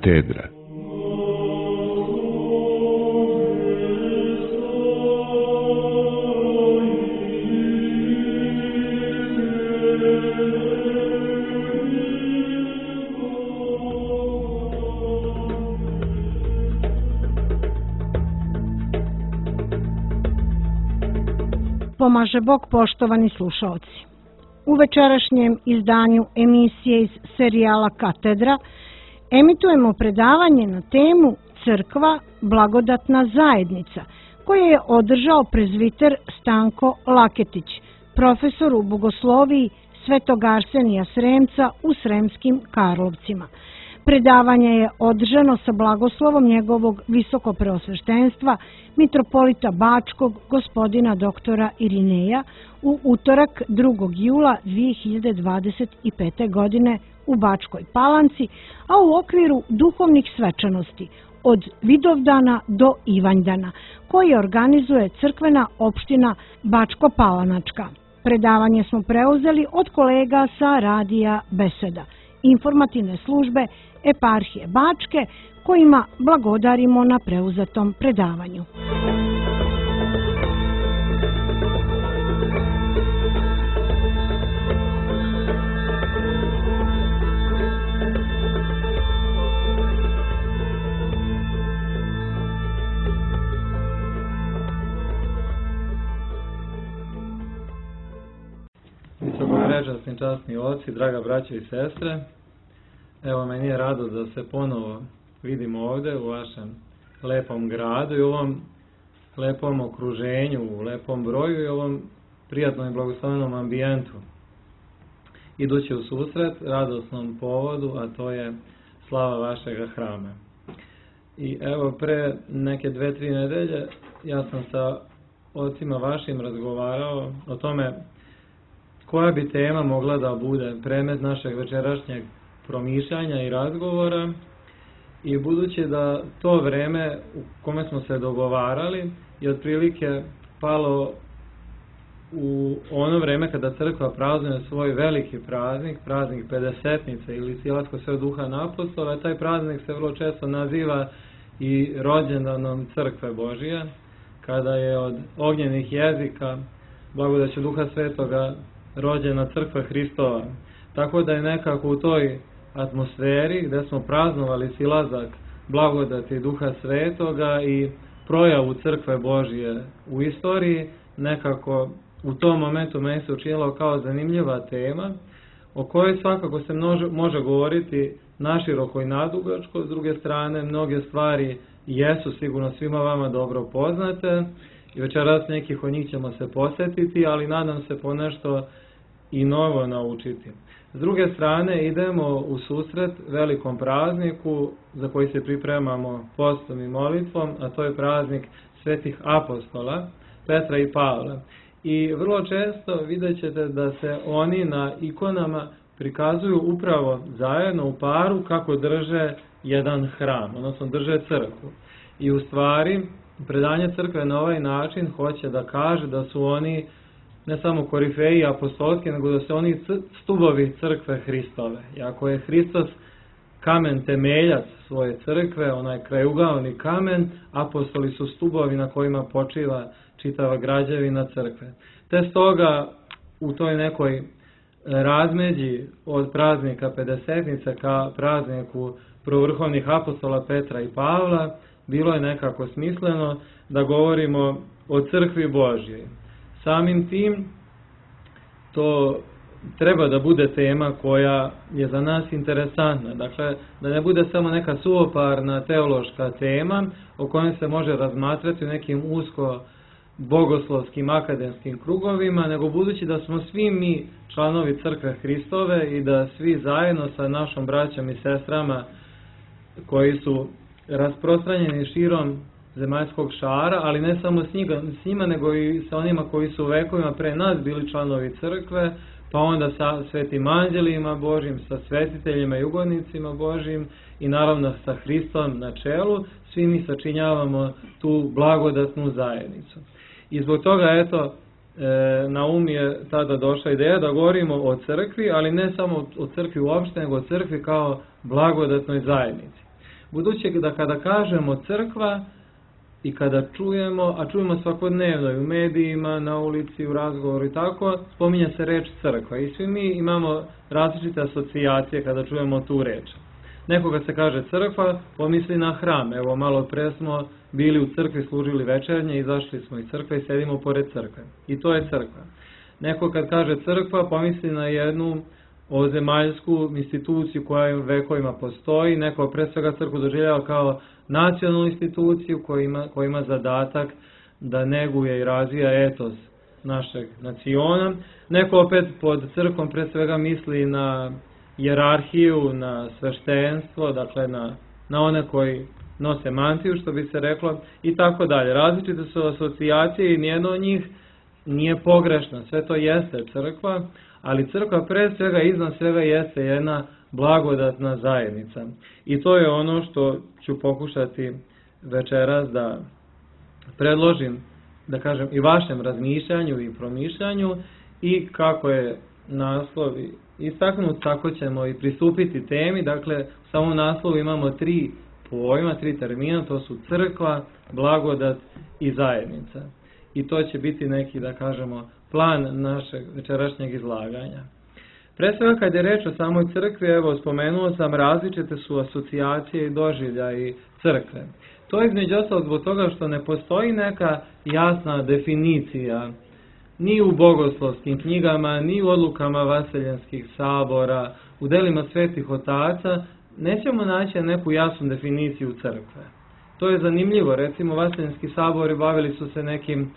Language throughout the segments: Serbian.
Katedra. Pomaže Bog, poštovani slušaoci. U večerašnjem izdanju emisije iz serijala Katedra emitujemo predavanje na temu Crkva, blagodatna zajednica, koje je održao prezviter Stanko Laketić, profesor u bogosloviji Svetog Arsenija Sremca u Sremskim Karlovcima. Predavanje je održano sa blagoslovom njegovog visokopreosveštenstva mitropolita Bačkog gospodina doktora Irineja u utorak 2. jula 2025. godine u Bačkoj Palanci, a u okviru duhovnih svečanosti od Vidovdana do Ivanjdana, koji organizuje crkvena opština Bačko-Palanačka. Predavanje smo preuzeli od kolega sa radija Beseda, informativne službe Eparhije Bačke, kojima blagodarimo na preuzetom predavanju. Visokoprečasni časni oci, draga braćo i sestre, evo meni je radost da se ponovo vidimo ovdje u vašem lepom gradu i u ovom lepom okruženju, u lepom broju i ovom prijatnom i blagoslovnom ambijentu. Idući u susret radosnom povodu, a to je slava vašega hrama. I evo pre neke 2-3 nedelje ja sam sa ocima vašim razgovarao o tome koja bi tema mogla da bude predmet našeg večerašnjeg promišljanja i razgovora, i budući da to vreme u kome smo se dogovarali je otprilike palo u ono vreme kada crkva praznuje svoj veliki praznik, praznik Pedesetnice ili Silatskog Svetog Duha Apostola, taj praznik se vrlo često naziva i rođendanom Crkve Božije, kada je od ognjenih jezika, blagodaću Duha Svetoga, rođena Crkva Hristova. Tako da je nekako u toj atmosferi gdje smo praznovali silazak blagodati Duha Svetoga i projavu Crkve Božije u istoriji, nekako u tom momentu meni se učinilo kao zanimljiva tema, o kojoj svakako se može govoriti naširoko i nadugačko. S druge strane, mnoge stvari jesu sigurno svima vama dobro poznate i večeras nekih od njih ćemo se posjetiti, ali nadam se ponešto i novo naučiti. S druge strane, idemo u susret velikom prazniku za koji se pripremamo postom i molitvom, a to je praznik svetih apostola, Petra i Pavla. I vrlo često vidjet ćete da se oni na ikonama prikazuju upravo zajedno u paru kako drže jedan hram, odnosno drže crkvu. I u stvari, predanje crkve na ovaj način hoće da kaže da su oni ne samo korifeji apostolski, nego da su oni stubovi crkve Hristove. I ako je Hristos kamen temeljac svoje crkve, onaj krajugaoni kamen, apostoli su stubovi na kojima počiva čitava građevina crkve. Te stoga u toj nekoj razmeđi od praznika Pedesetnice ka prazniku prvovrhovnih apostola Petra i Pavla bilo je nekako smisleno da govorimo o crkvi Božjoj. Samim tim, to treba da bude tema koja je za nas interesantna. Dakle, da ne bude samo neka suvoparna teološka tema o kojoj se može razmatrati u nekim usko bogoslovskim akademskim krugovima, nego budući da smo svi mi članovi Crkve Hristove i da svi zajedno sa našom braćom i sestrama koji su rasprostranjeni širom zemaljskog šara, ali ne samo s njima, nego i sa onima koji su vekovima pre nas bili članovi crkve, pa onda sa svetim anđelima Božjim, sa svetiteljima i ugodnicima Božjim i naravno sa Hristom na čelu, svi mi sačinjavamo tu blagodatnu zajednicu. I zbog toga, eto, na um je tada došla ideja da govorimo o crkvi, ali ne samo o crkvi uopšte, nego o crkvi kao blagodatnoj zajednici. budući da kada kažemo crkva i kada čujemo, a čujemo svakodnevno i u medijima, na ulici, u razgovoru i tako, spominje se reč crkva i svi mi imamo različite asocijacije kada čujemo tu reč. Nekoga se kaže crkva, pomisli na hram. Evo, malo pre smo bili u crkvi, služili večernje, izašli smo iz crkve i sedimo pored crkve. I to je crkva. Neko kad kaže crkva, pomisli na jednu ovozemaljsku instituciju koja vekovima postoji. Neko pre svega crkvu doživljava kao nacionalnu instituciju koja ima zadatak da neguje i razvija etos našeg naciona. Neko opet pod crkvom pre svega misli na hijerarhiju, na sveštenstvo, dakle na one koji nose mantiju, što bi se reklo, i tako dalje. Različite su asocijacije i nijedno od njih nije pogrešna. Sve to jeste crkva, ali crkva pre svega, iznad svega, jeste jedna blagodatna zajednica. I to je ono što ću pokušati večeras da predložim, da kažem, i vašem razmišljanju i promišljanju, i kako je naslov istaknut, tako ćemo i pristupiti temi. Dakle, u samom naslovu imamo 3 pojma, 3 termina, to su crkva, blagodat i zajednica. I to će biti neki, da kažemo, plan našeg večerašnjeg izlaganja. Pre svega, kad je reč o samoj crkvi, evo, spomenuo sam, različite su asocijacije i doživljaji crkve. To je između ostalog zbog toga što ne postoji neka jasna definicija ni u bogoslovskim knjigama, ni u odlukama vaseljenskih sabora, u delima svetih otaca, nećemo naći neku jasnu definiciju crkve. To je zanimljivo, recimo vaseljenski sabori bavili su se nekim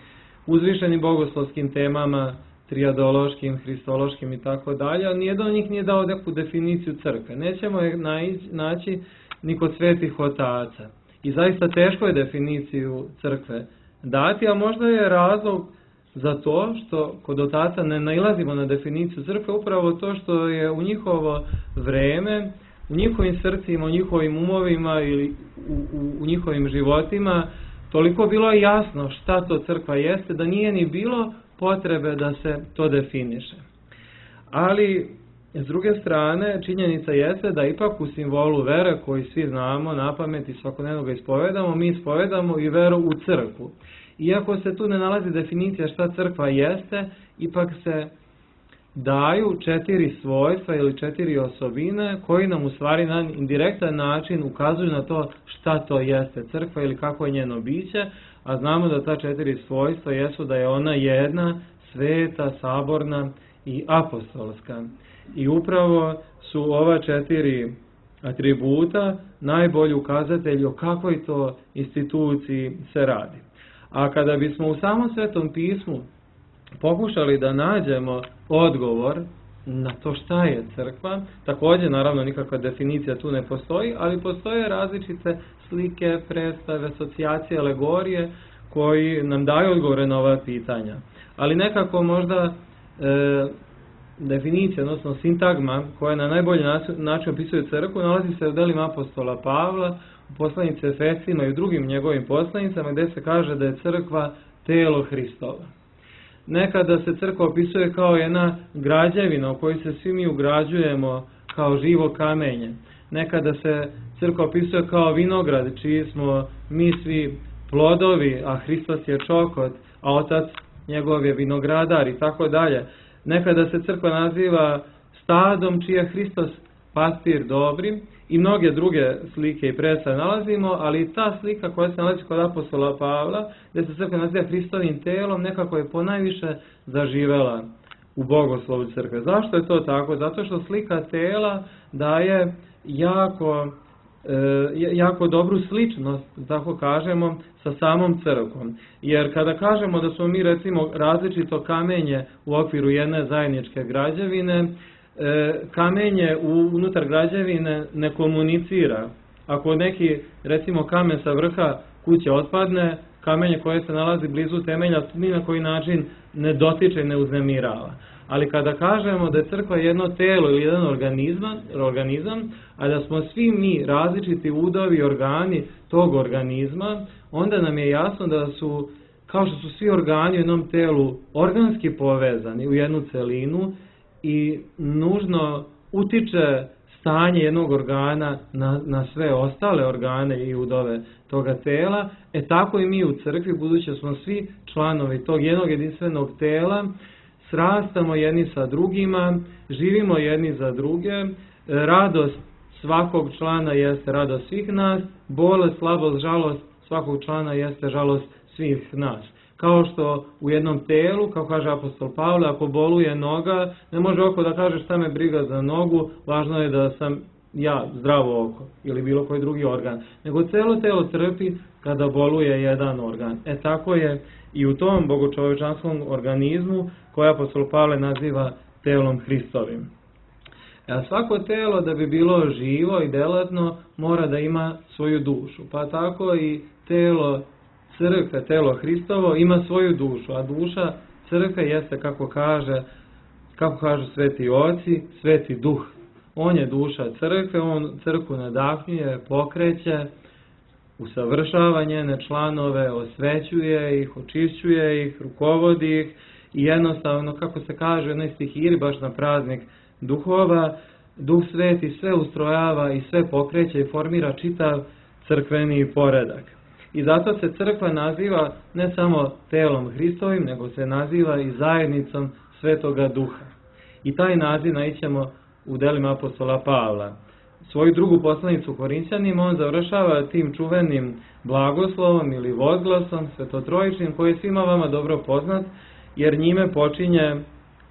uzvišenim bogoslovskim temama, trijadološkim, hristološkim i tako dalje, ali nijedan od njih nije dao neku definiciju crkve. Nećemo je naći ni kod svetih otaca. I zaista teško je definiciju crkve dati, a možda je razlog za to što kod otaca ne nailazimo na definiciju crkve, upravo to što je u njihovo vreme, u njihovim srcima, u njihovim umovima ili u njihovim životima toliko bilo jasno šta to crkva jeste, da nije ni bilo potrebe da se to definiše. Ali, s druge strane, činjenica jeste da ipak u simbolu vere, koji svi znamo napamet i svakodnevno ga ispovedamo, mi ispovedamo i veru u crkvu. Iako se tu ne nalazi definicija šta crkva jeste, ipak se daju 4 svojstva ili 4 osobine koji nam u stvari na indirektan način ukazuju na to šta to jeste crkva ili kako je njeno biće, a znamo da ta 4 svojstva jesu da je ona jedna, sveta, saborna i apostolska. I upravo su ova 4 atributa najbolji ukazatelji o kakvoj to instituciji se radi. A kada bismo u samom Svetom pismu pokušali da nađemo odgovor na to šta je crkva, također naravno nikakva definicija tu ne postoji, ali postoje različite slike, predstave, asocijacije, alegorije koji nam daju odgovore na ova pitanja. Ali nekako možda definicija, odnosno sintagma koja na najbolji način opisuje crkvu, nalazi se u delima apostola Pavla, u poslanici Efesima i u drugim njegovim poslanicama, gdje se kaže da je crkva telo Hristova. Nekada se crkva opisuje kao jedna građevina u kojoj se svi mi ugrađujemo kao živo kamenje. Nekada se crkva opisuje kao vinograd, čiji smo mi svi plodovi, a Hristos je čokot, a Otac njegov je vinogradar i tako dalje. Nekada se crkva naziva stadom, čiji je Hristos pastir dobri, i mnoge druge slike i predstave nalazimo, ali ta slika koja se nalazi kod apostola Pavla, gdje se crkva naziva Hristovim telom, nekako je ponajviše zaživela u bogoslovu crkve. Zašto je to tako? Zato što slika tela daje jako dobru sličnost, tako kažemo, sa samom crkvom. Jer kada kažemo da smo mi, recimo, različito kamenje u okviru jedne zajedničke građevine, kamenje unutar građevine ne komunicira. Ako neki, recimo, kamen sa vrha kuće otpadne, kamenje koje se nalazi blizu temelja ni na koji način ne dotiče i ne uznemirava. Ali kada kažemo da je crkva jedno telo ili jedan organizam, a da smo svi mi različiti udovi i organi tog organizma, onda nam je jasno da su, kao što su svi organi u jednom telu organski povezani u jednu celinu, i nužno utiče stanje jednog organa na sve ostale organe i udove toga tela, tako i mi u crkvi, budući smo svi članovi tog jednog jedinstvenog tela, srastamo jedni sa drugima, živimo jedni za druge, radost svakog člana jeste radost svih nas, bolest, slabost, žalost svakog člana jeste žalost svih nas. Kao što u jednom telu, kao kaže apostol Pavle, ako boluje noga, ne može oko da kaže šta me briga za nogu, važno je da sam ja zdravo oko ili bilo koji drugi organ. Nego celo telo trpi kada boluje jedan organ. Tako je i u tom bogočovečanskom organizmu koje apostol Pavle naziva telom Hristovim. Svako telo da bi bilo živo i delatno mora da ima svoju dušu. Pa tako i telo crkve, telo Hristovo ima svoju dušu, a duša crkve jeste, kako kažu sveti oci, sveti duh. On je duša crkve, on crkvu nadahnjuje, pokreće, usavršava njene članove, osvećuje ih, očišćuje ih, rukovodi ih i jednostavno, kako se kaže u jednoj stihiri, baš na praznik duhova, Duh Sveti sve ustrojava i sve pokreće i formira čitav crkveni poredak. I zato se crkva naziva ne samo telom Hristovim, nego se naziva i zajednicom Svetoga Duha. I taj naziv naićemo u delima apostola Pavla. Svoju drugu poslanicu Korinćanima on završava tim čuvenim blagoslovom ili vozglasom svetotrojičnim, koji je svima vama dobro poznat, jer njime počinje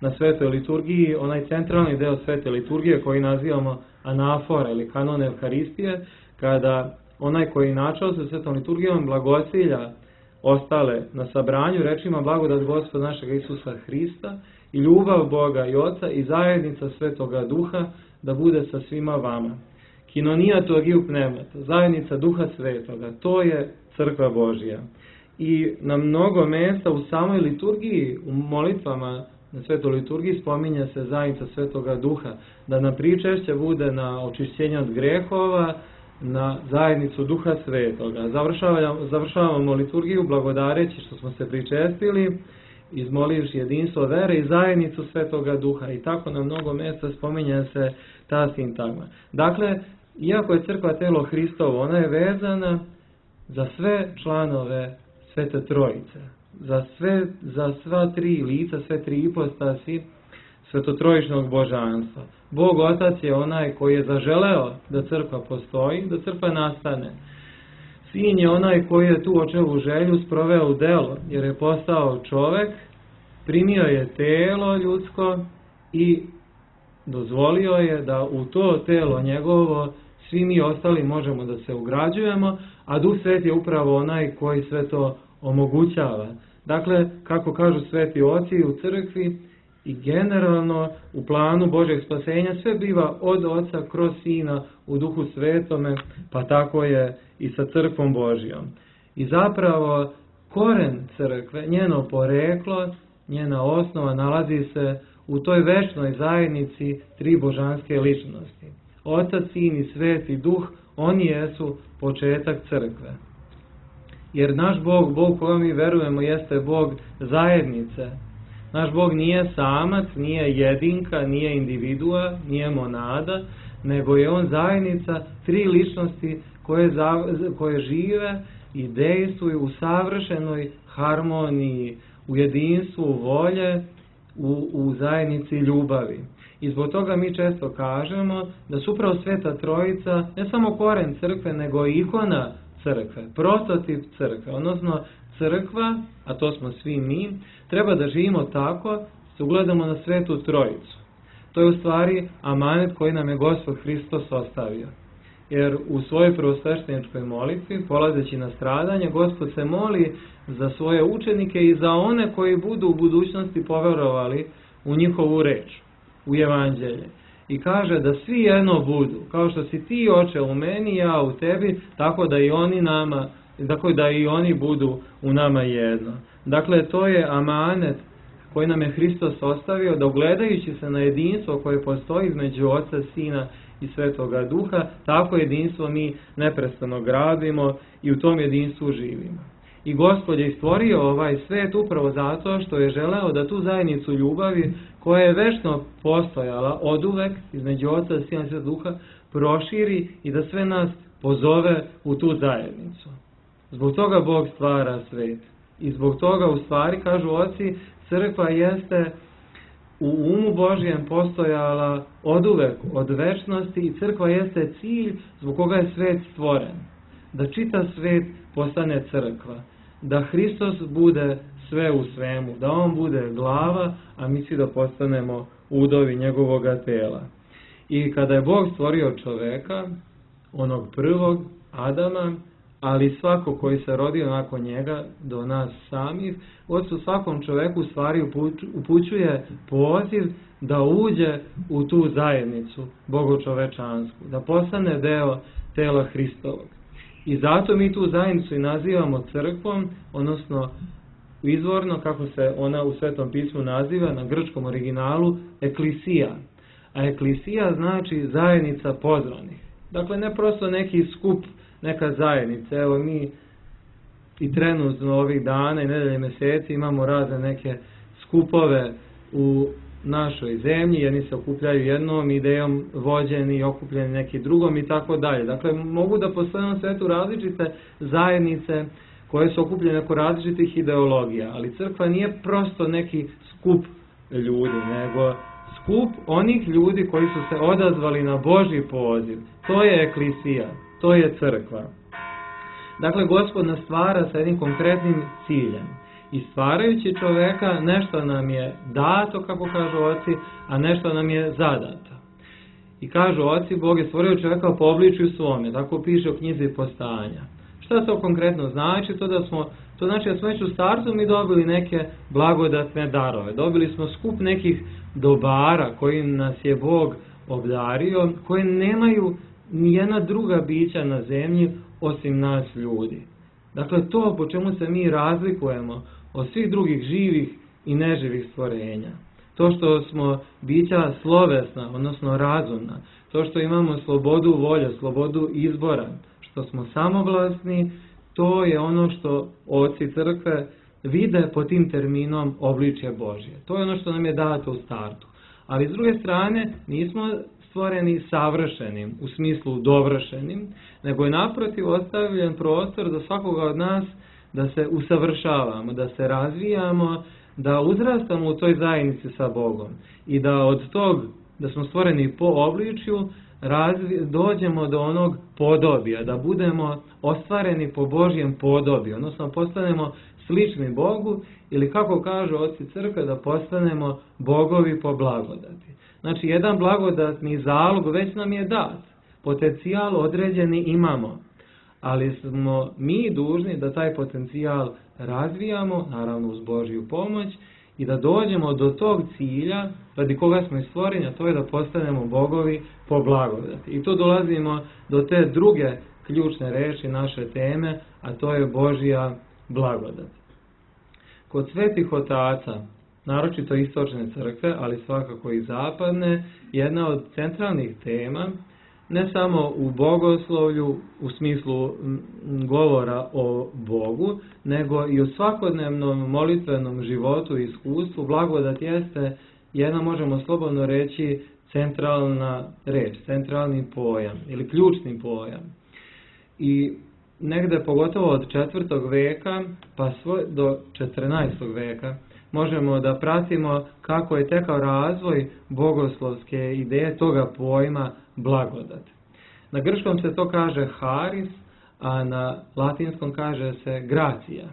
na svetoj liturgiji onaj centralni deo svete liturgije koji nazivamo anafora ili kanon Evharistije, kada onaj koji načao sa svetom liturgijom blagosilja ostale na sabranju rečima blagodat Gospoda našega Isusa Hrista i ljubav Boga i Oca i zajednica Svetoga Duha da bude sa svima vama. Kinonija togiu pneumata, zajednica Duha Svetoga, to je crkva Božja. I na mnogo mesta u samoj liturgiji, u molitvama na svetoj liturgiji spominje se zajednica Svetoga Duha, da nam pričešće bude na očišćenje od grehova, na zajednicu Duha Svetoga. Završavamo liturgiju blagodareći što smo se pričestili, izmolivši jedinstvo vere i zajednicu Svetoga Duha. I tako na mnogo mjesta spominje se ta sintagma. Dakle, iako je crkva telo Hristovo, ona je vezana za sve članove Svete Trojice. Za sva tri lica, sve tri ipostasi svetotrojičnog božanstva. Bog Otac je onaj koji je zaželeo da crkva postoji, da crkva nastane. Sin je onaj koji je tu očevu želju sproveo u delo, jer je postao čovek, primio je telo ljudsko i dozvolio je da u to telo njegovo svi mi ostali možemo da se ugrađujemo, a Duh Sveti je upravo onaj koji sve to omogućava. Dakle, kako kažu sveti oci u crkvi i generalno u planu Božjeg spasenja, sve biva od Oca kroz Sina u Duhu Svetome, pa tako je i sa crkvom Božjom. I zapravo koren crkve, njeno poreklo, njena osnova nalazi se u toj večnoj zajednici tri božanske ličnosti. Otac, Sin i Sveti Duh, oni jesu početak crkve. Jer naš Bog, Bog koga mi verujemo, jeste Bog zajednice. Naš Bog nije samac, nije jedinka, nije individua, nije monada, nego je on zajednica tri ličnosti koje žive i dejstvuju u savršenoj harmoniji, u jedinstvu volje, u zajednici ljubavi. I zbog toga mi često kažemo da su upravo Sveta Trojica ne samo koren crkve, nego i ikona crkve, prototip crkve, odnosno crkva, a to smo svi mi, treba da živimo tako, se ugledamo na Svetu Trojicu. To je u stvari amanet koji nam je Gospod Hristos ostavio. Jer u svojoj prvosvešteničkoj molitvi, polazeći na stradanje, Gospod se moli za svoje učenike i za one koji budu u budućnosti poverovali u njihovu reč, u evanđelje. I kaže da svi jedno budu, kao što si ti, Oče, u meni, ja u tebi, tako da i oni budu u nama jedno. Dakle, to je amanet koji nam je Hristos ostavio, da ugledajući se na jedinstvo koje postoji između Oca, Sina i Svetoga Duha, tako jedinstvo mi neprestano gradimo i u tom jedinstvu živimo. I Gospod je stvorio ovaj svet upravo zato što je želeo da tu zajednicu ljubavi, koja je večno postojala oduvek između Oca, Sina i Svetog Duha, proširi i da sve nas pozove u tu zajednicu. Zbog toga Bog stvara svet. I zbog toga, u stvari, kažu oci, crkva jeste u umu Božjem postojala oduvek, od večnosti, i crkva jeste cilj zbog koga je svet stvoren. Da čitav svet postane crkva. Da Hristos bude sve u svemu. Da on bude glava, a mi svi da postanemo udovi njegovoga tela. I kada je Bog stvorio čoveka, onog prvog, Adama, ali svako koji se rodio nakon njega, do nas samih, Ocu svakom čoveku u stvari upućuje poziv da uđe u tu zajednicu bogočovečansku, da postane deo tela Hristovog. I zato mi tu zajednicu i nazivamo crkvom, odnosno izvorno, kako se ona u Svetom pismu naziva, na grčkom originalu, eklisija. A eklisija znači zajednica pozvanih. Dakle, ne prosto neki skup, neka zajednica. Evo mi i trenutno ovih dana i nedelje meseci imamo razne neke skupove u našoj zemlji, jedni se okupljaju jednom idejom, vođeni i okupljeni neki drugom i tako dalje. Dakle, mogu da postoje na svetu različite zajednice koje su okupljene oko različitih ideologija, ali crkva nije prosto neki skup ljudi, nego skup onih ljudi koji su se odazvali na Božji poziv. To je eklisija, to je crkva. Dakle, Gospod nas stvara sa jednim konkretnim ciljem. I stvarajući čoveka, nešto nam je dato, kako kažu oci, a nešto nam je zadato. I kažu oci, Bog je stvorio čoveka po obličju svome, tako piše u knjizi Postanja. Šta to konkretno znači? To znači da smo već u startu mi dobili neke blagodatne darove. Dobili smo skup nekih dobara kojim nas je Bog obdario, koje nemaju nijedna druga bića na zemlji osim nas ljudi. Dakle, to po čemu se mi razlikujemo od svih drugih živih i neživih stvorenja. To što smo bića slovesna, odnosno razumna. To što imamo slobodu volje, slobodu izbora, što smo samovlasni, to je ono što oci crkve vide pod tim terminom obličje Božje. To je ono što nam je dato u startu. Ali s druge strane, nismo stvoreni savršenim, u smislu dovršenim, nego je naprotiv ostavljen prostor za svakoga od nas da se usavršavamo, da se razvijamo, da uzrastamo u toj zajednici sa Bogom i da od tog, da smo stvoreni po obličju, dođemo do onog podobija, da budemo ostvareni po Božjem podobiju, odnosno postanemo slični Bogu, ili kako kažu oci crkve, da postanemo bogovi po blagodati. Znači, jedan blagodatni zalog već nam je dat, potencijal određeni imamo, ali smo mi dužni da taj potencijal razvijamo, naravno uz Božju pomoć, i da dođemo do tog cilja, radi koga smo i stvoreni, a to je da postanemo bogovi po blagodati. I tu dolazimo do te druge ključne reči naše teme, a to je Božja blagodat. Kod svetih otaca, naročito istočne crkve, ali svakako i zapadne, jedna od centralnih tema, ne samo u bogoslovlju u smislu govora o Bogu, nego i u svakodnevnom molitvenom životu i iskustvu, blagodat jeste jedna, možemo slobodno reći, centralna reč, centralni pojam ili ključni pojam. I negde pogotovo od 4. veka pa do 14. veka možemo da pratimo kako je tekao razvoj bogoslovske ideje toga pojma blagodat. Na grčkom se to kaže haris, a na latinskom kaže se gracija.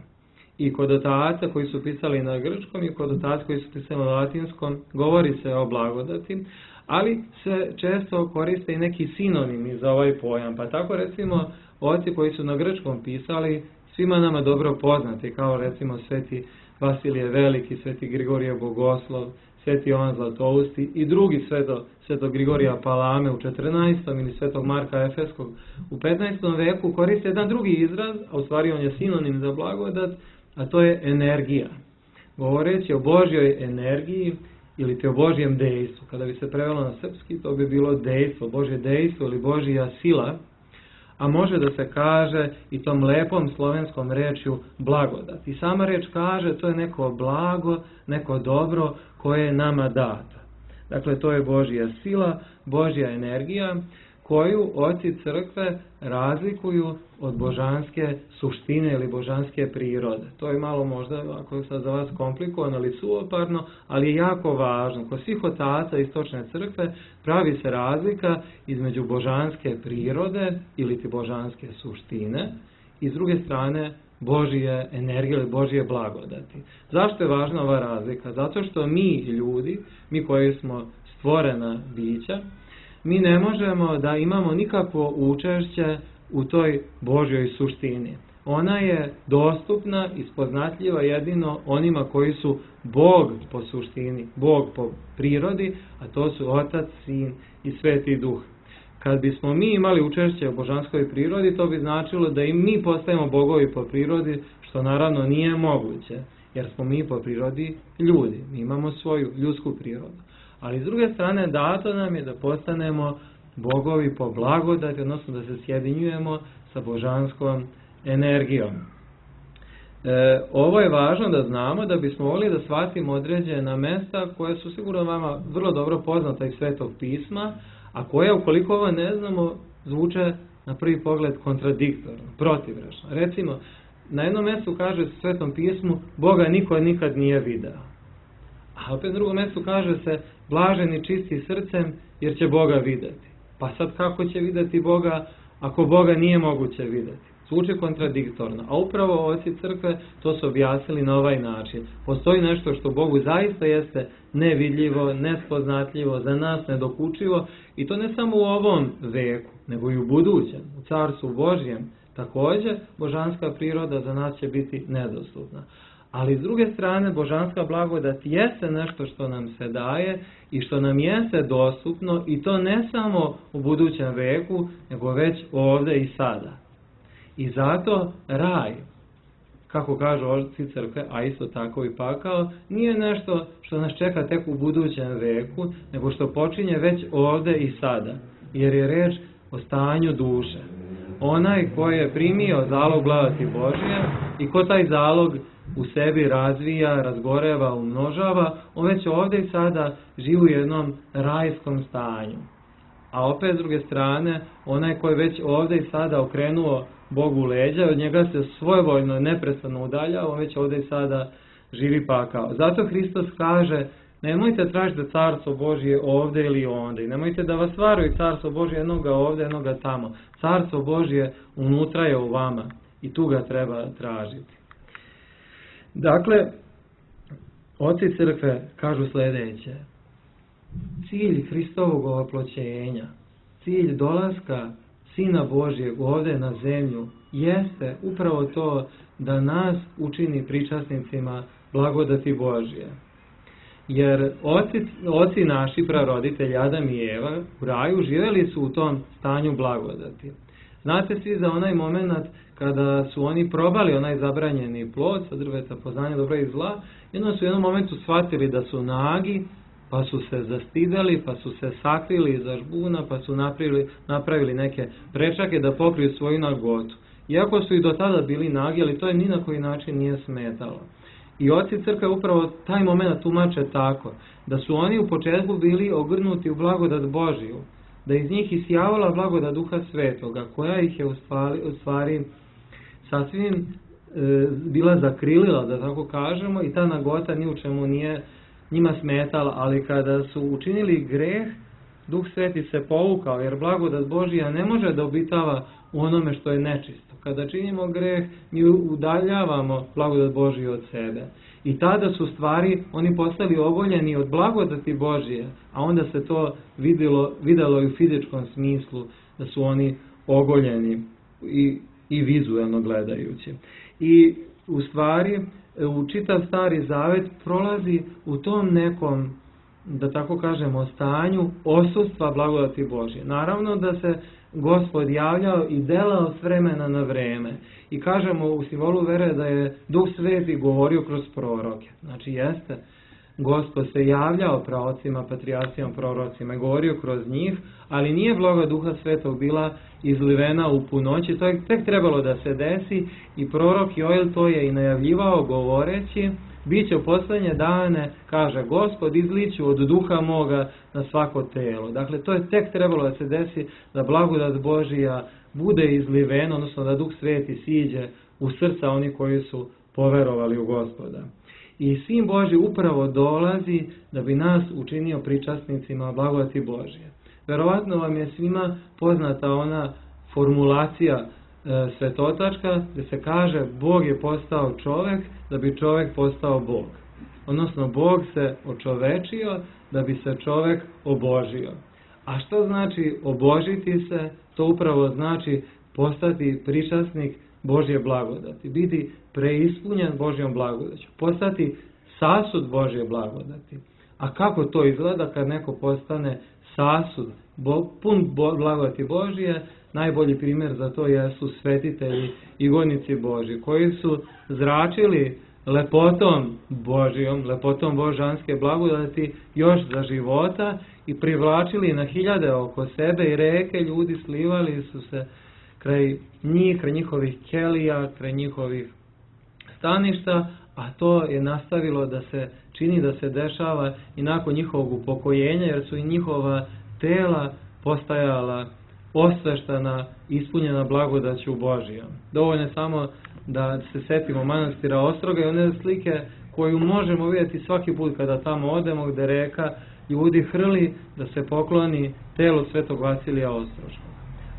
I kod otaca koji su pisali na grčkom i kod otaca koji su pisali na latinskom govori se o blagodati, ali se često koriste i neki sinonimi za ovaj pojam. Pa tako recimo oci koji su na grčkom pisali, svima nama dobro poznati, kao recimo sveti Vasilije Veliki, sveti Grigorije Bogoslov, sveti Jovan Zlatousti i drugi svetog Grigorija Palame u 14. ili svetog Marka Efeskog u 15. veku koriste jedan drugi izraz, a u stvari on je sinonim za blagodat, a to je energija. Govoreći o Božjoj energiji ili te o Božjem dejstvu. Kada bi se prevelo na srpski, to bi bilo dejstvo, Božje dejstvo ili Božja sila. a može da se kaže i tom lepom slovenskom rečju blagodat. I sama reč kaže, to je neko blago, neko dobro koje je nama dato. Dakle, to je Božja sila, Božja energija koju oci crkve razlikuju od božanske suštine ili božanske prirode. To je malo možda, ako je sad za vas komplikovano ili suvoparno, ali je jako važno. Kod svih otaca istočne crkve pravi se razlika između božanske prirode ili ti božanske suštine i s druge strane Božje energije ili Božje blagodati. Zašto je važna ova razlika? Zato što mi ljudi, mi koji smo stvorena bića, mi ne možemo da imamo nikakvo učešće u toj Božjoj suštini. Ona je dostupna i spoznatljiva jedino onima koji su Bog po suštini, Bog po prirodi, a to su Otac, Sin i Sveti Duh. Kad bismo mi imali učešće u božanskoj prirodi, to bi značilo da i mi postajemo bogovi po prirodi, što naravno nije moguće, jer smo mi po prirodi ljudi, mi imamo svoju ljudsku prirodu. Ali s druge strane dato nam je da postanemo bogovi po blagodati, odnosno da se sjedinjujemo sa božanskom energijom. Ovo je važno da znamo da bismo mogli da shvatimo određena mesta koja su sigurno vama vrlo dobro poznata iz Svetog pisma, a koja, ukoliko ovo ne znamo, zvuče na prvi pogled kontradiktorno, protivrečno. Recimo, na jednom mjestu kaže u Svetom pismu Boga niko nikad nije video. A opet na drugom mjestu kaže se blaženi čisti srcem jer će Boga vidjeti. Pa sad kako će vidjeti Boga ako Boga nije moguće vidjeti? Zvuči kontradiktorno. A upravo oci crkve to su objasnili na ovaj način. Postoji nešto što Bogu zaista jeste nevidljivo, nespoznatljivo, za nas nedokučivo i to ne samo u ovom veku, nego i u budućem, u Carstvu Božjem. Također, božanska priroda za nas će biti nedostupna. Ali s druge strane, božanska blagodat jeste nešto što nam se daje i što nam jeste dostupno i to ne samo u budućem veku, nego već ovdje i sada. I zato raj, kako kažu oci crkve, a isto tako i pakao, nije nešto što nas čeka tek u budućem veku, nego što počinje već ovdje i sada, jer je reč o stanju duše. Onaj ko je primio zalog blagodati Božje i ko taj zalog u sebi razvija, razgoreva, umnožava, on već ovdje i sada živi u jednom rajskom stanju. A opet s druge strane, onaj koji je već ovdje i sada okrenuo Bogu leđa, od njega se svojevoljno neprestano udalja, on već ovdje i sada živi pakao. Zato Hristos kaže, nemojte tražiti carstvo Božje ovdje ili ondje. Nemojte da vas varaju carstvo Božje jednoga ovdje, jednoga tamo. Carstvo Božje unutra je u vama i tu ga treba tražiti. Dakle, oci crkve kažu sljedeće. Cilj Hristovog ovoploćenja, cilj dolaska Sina Božjeg ovdje na zemlju jeste upravo to da nas učini pričasnicima blagodati Božje. Jer oci naši praroditelji Adam i Eva u raju živjeli su u tom stanju blagodati. Znate svi za onaj moment kada su oni probali onaj zabranjeni plod sa drveta poznanja dobra i zla, jedno su u jednom momentu shvatili da su nagi, pa su se zastidali, pa su se sakrili iza žbuna, pa su napravili neke prečake da pokriju svoju nagotu. Iako su i do tada bili nagi, ali to je ni na koji način nije smetalo. I oci crkve upravo taj moment tumače tako, da su oni u početku bili ogrnuti u blagodat Božiju, da iz njih isijavala blagodat Duha Svetoga, koja ih je u stvari sasvim bila zakrilila, da tako kažemo, i ta nagota ni u čemu nije njima smetala, ali kada su učinili greh, Duh Sveti se povukao, jer blagodat Božija ne može da obitava u onome što je nečisto. Kada činimo greh, mi udaljavamo blagodat Božiju od sebe. I tada su stvari, oni postali ogoljeni od blagodati Božije, a onda se to vidjelo i u fizičkom smislu, da su oni ogoljeni i vizuelno gledajući. I u stvari, u čitav Stari Zavet prolazi u tom nekom, da tako kažemo, stanju odsustva blagodati Božje. Naravno da se Gospod javljao i delao s vremena na vreme. I kažemo u simbolu vere da je Duh Sveti govorio kroz proroke. Znači jeste Gospod se javljao praocima, patrijarhima, prorocima i govorio kroz njih, ali nije blagodat Duha Svetog bila izlivena u punoći, to je tek trebalo da se desi i prorok Joel to je i najavljivao govoreći, bit će u posljednje dane, kaže Gospod, izliću od duha moga na svako telo. Dakle, to je tek trebalo da se desi, da blagodat Božija bude izlivena, odnosno da Duh Sveti siđe u srca oni koji su poverovali u Gospoda. I Sin Božji upravo dolazi da bi nas učinio pričasnicima blagodati Božje. Verovatno vam je svima poznata ona formulacija svetotačka gdje se kaže Bog je postao čovjek da bi čovjek postao Bog. Odnosno Bog se očovečio da bi se čovjek obožio. A što znači obožiti se? To upravo znači postati pričasnik Božje blagodati, biti preispunjen Božjom blagodaću, postati sasud Božje blagodati. A kako to izgleda kad neko postane sasud, pun blagodati Božje? Najbolji primjer za to jesu svetitelji i godnici Božji, koji su zračili lepotom Božjom, lepotom božanske blagodati još za života i privlačili na hiljade oko sebe i reke ljudi slivali su se kraj njih, kraj njihovih kelija, kraj njihovih staništa, a to je nastavilo da se čini, da se dešava i nakon njihovog upokojenja, jer su i njihova tela postajala osveštana, ispunjena blagodaću Božijom. Dovoljno je samo da se setimo manastira Ostroga i one slike koju možemo vidjeti svaki put kada tamo odemo, gdje reka ljudi hrli da se pokloni telu svetog Vasilija Ostroškog.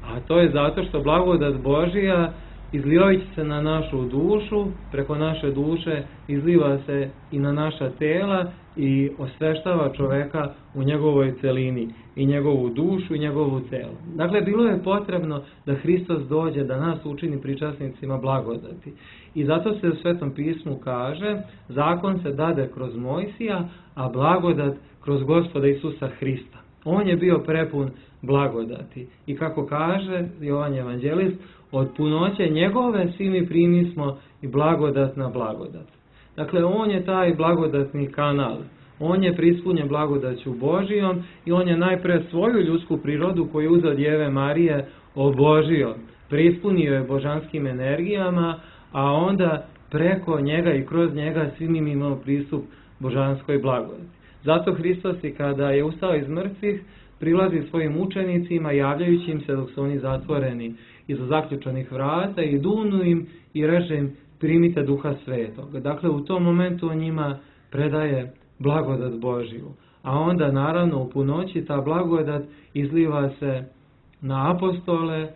A to je zato što blagodat Božija izlivajući se na našu dušu, preko naše duše izliva se i na naša tela i osveštava čoveka u njegovoj celini, i njegovu dušu i njegovu telo. Dakle, bilo je potrebno da Hristos dođe da nas učini pričasnicima blagodati. I zato se u Svetom pismu kaže, zakon se dade kroz Mojsija, a blagodat kroz Gospoda Isusa Hrista. On je bio prepun blagodati. I kako kaže Jovan Evanđelist, od punoće njegove svi mi primismo i blagodat na blagodat. Dakle, on je taj blagodatni kanal. On je prispunjen blagodaću Božijom i on je najpre svoju ljudsku prirodu koju je uzeo od Djeve Marije obožio. Prispunio je božanskim energijama, a onda preko njega i kroz njega svi mi imamo pristup božanskoj blagodati. Zato Hristos i kada je ustao iz mrtvih prilazi svojim učenicima javljajući im se dok su oni zatvoreni iza zaključanih vrata i dunu im i reče im primite Duha Svetog. Dakle, u tom momentu on njima predaje blagodat Božiju. A onda naravno u punoći ta blagodat izliva se na apostole,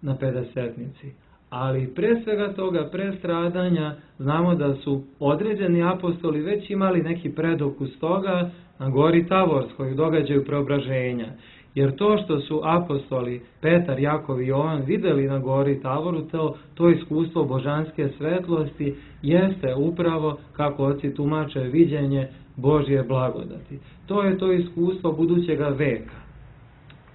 na pedesetnici. Ali pre svega toga, pre stradanja, znamo da su određeni apostoli već imali neki predokus toga na gori Tavorskoj, u događaju preobraženja. Jer to što su apostoli Petar, Jakov i Jovan vidjeli na gori Tavoru, to iskustvo božanske svetlosti jeste upravo, kako oci tumače, viđenje Božje blagodati. To je to iskustvo budućega veka.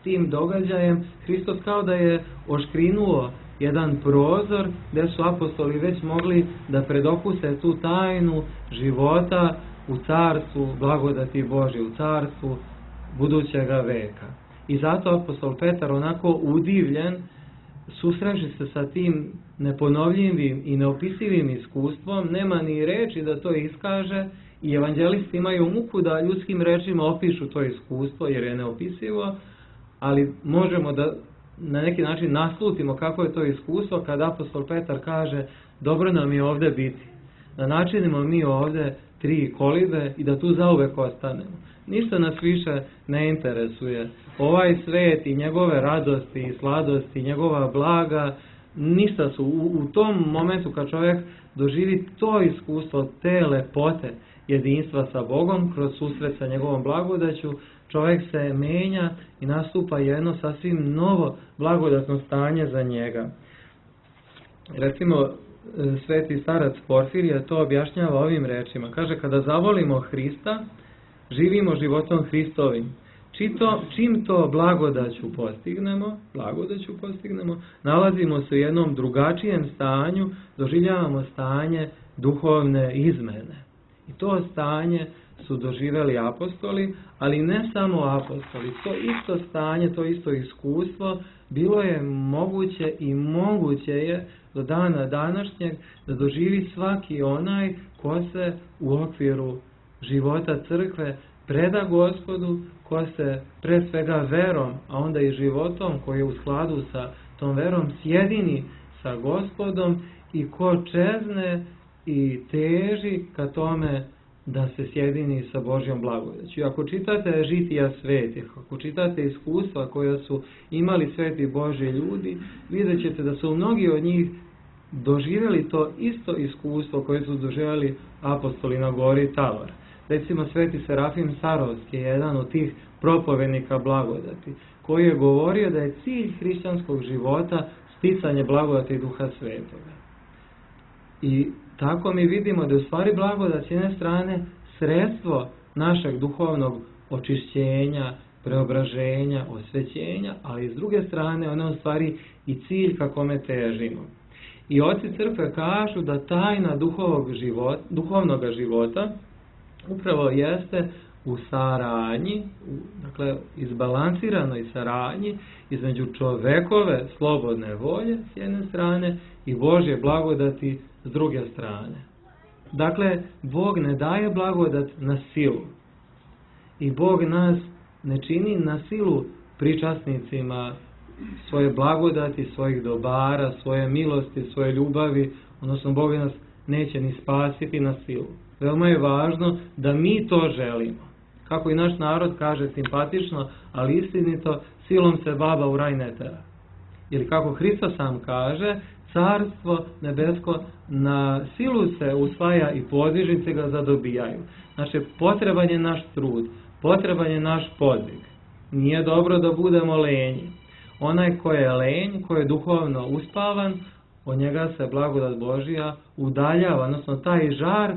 Tim događajem Hristos kao da je oškrinuo jedan prozor gdje su apostoli već mogli da predokuse tu tajnu života u carstvu blagodati Božje, u carstvu budućega veka. I zato apostol Petar onako udivljen, susreći se sa tim neponovljivim i neopisivim iskustvom, nema ni reči da to iskaže i evanđelisti imaju muku da ljudskim rečima opišu to iskustvo jer je neopisivo, ali možemo da na neki način naslutimo kako je to iskustvo kada apostol Petar kaže dobro nam je ovdje biti, da načinimo mi ovdje 3 kolibe i da tu zauvek ostanemo. Ništa nas više ne interesuje. Ovaj svet i njegove radosti i sladosti, njegova blaga, ništa su. U tom momentu kad čovjek doživi to iskustvo, te lepote jedinstva sa Bogom, kroz susret sa njegovom blagodaću, čovjek se menja i nastupa jedno sasvim novo blagodatno stanje za njega. Recimo, sveti starac Porfirije to objašnjava ovim rečima. Kaže, kada zavolimo Hrista, živimo životom Hristovim. Čim to blagodaću postignemo, nalazimo se u jednom drugačijem stanju, doživljavamo stanje duhovne izmene. I to stanje su doživjeli apostoli, ali ne samo apostoli. To isto stanje, to isto iskustvo bilo je moguće i moguće je do dana današnjeg da doživi svaki onaj ko se u okviru života crkve preda Gospodu, ko se pre svega verom, a onda i životom koji je u skladu sa tom verom sjedini sa Gospodom i ko čezne i teži ka tome da se sjedini sa Božjom blagodaću. Ako čitate žitija svetih, ako čitate iskustva koja su imali sveti Božji ljudi, vidjet ćete da su mnogi od njih doživjeli to isto iskustvo koje su doživjeli apostoli na gori Tabor. Recimo sveti Serafim Sarovski je jedan od tih propovednika blagodati, koji je govorio da je cilj hrišćanskog života sticanje blagodati Duha Svetoga. I tako mi vidimo da je u stvari blagodat s jedne strane sredstvo našeg duhovnog očišćenja, preobraženja, osvećenja, ali s druge strane ona je u stvari i cilj ka kome težimo. I oci crkve kažu da tajna duhovnog života upravo jeste u saradnji, dakle izbalansiranoj saradnji između čovekove slobodne volje s jedne strane i Božje blagodati s druge strane. Dakle, Bog ne daje blagodat na silu i Bog nas ne čini na silu pričasnicima svoje blagodati, svojih dobara, svoje milosti, svoje ljubavi, odnosno Bog nas neće ni spasiti na silu. Veoma je važno da mi to želimo. Kako i naš narod kaže simpatično, ali istinito, silom se baba u raj ne tera. Ili kako Hristos sam kaže, carstvo nebesko na silu se usvaja i podižnice ga zadobijaju. Znači, potreban je naš trud, potreban je naš podvig. Nije dobro da budemo lenji. Onaj ko je lenj, ko je duhovno uspavan, od njega se blagodat Božja udaljava, odnosno taj žar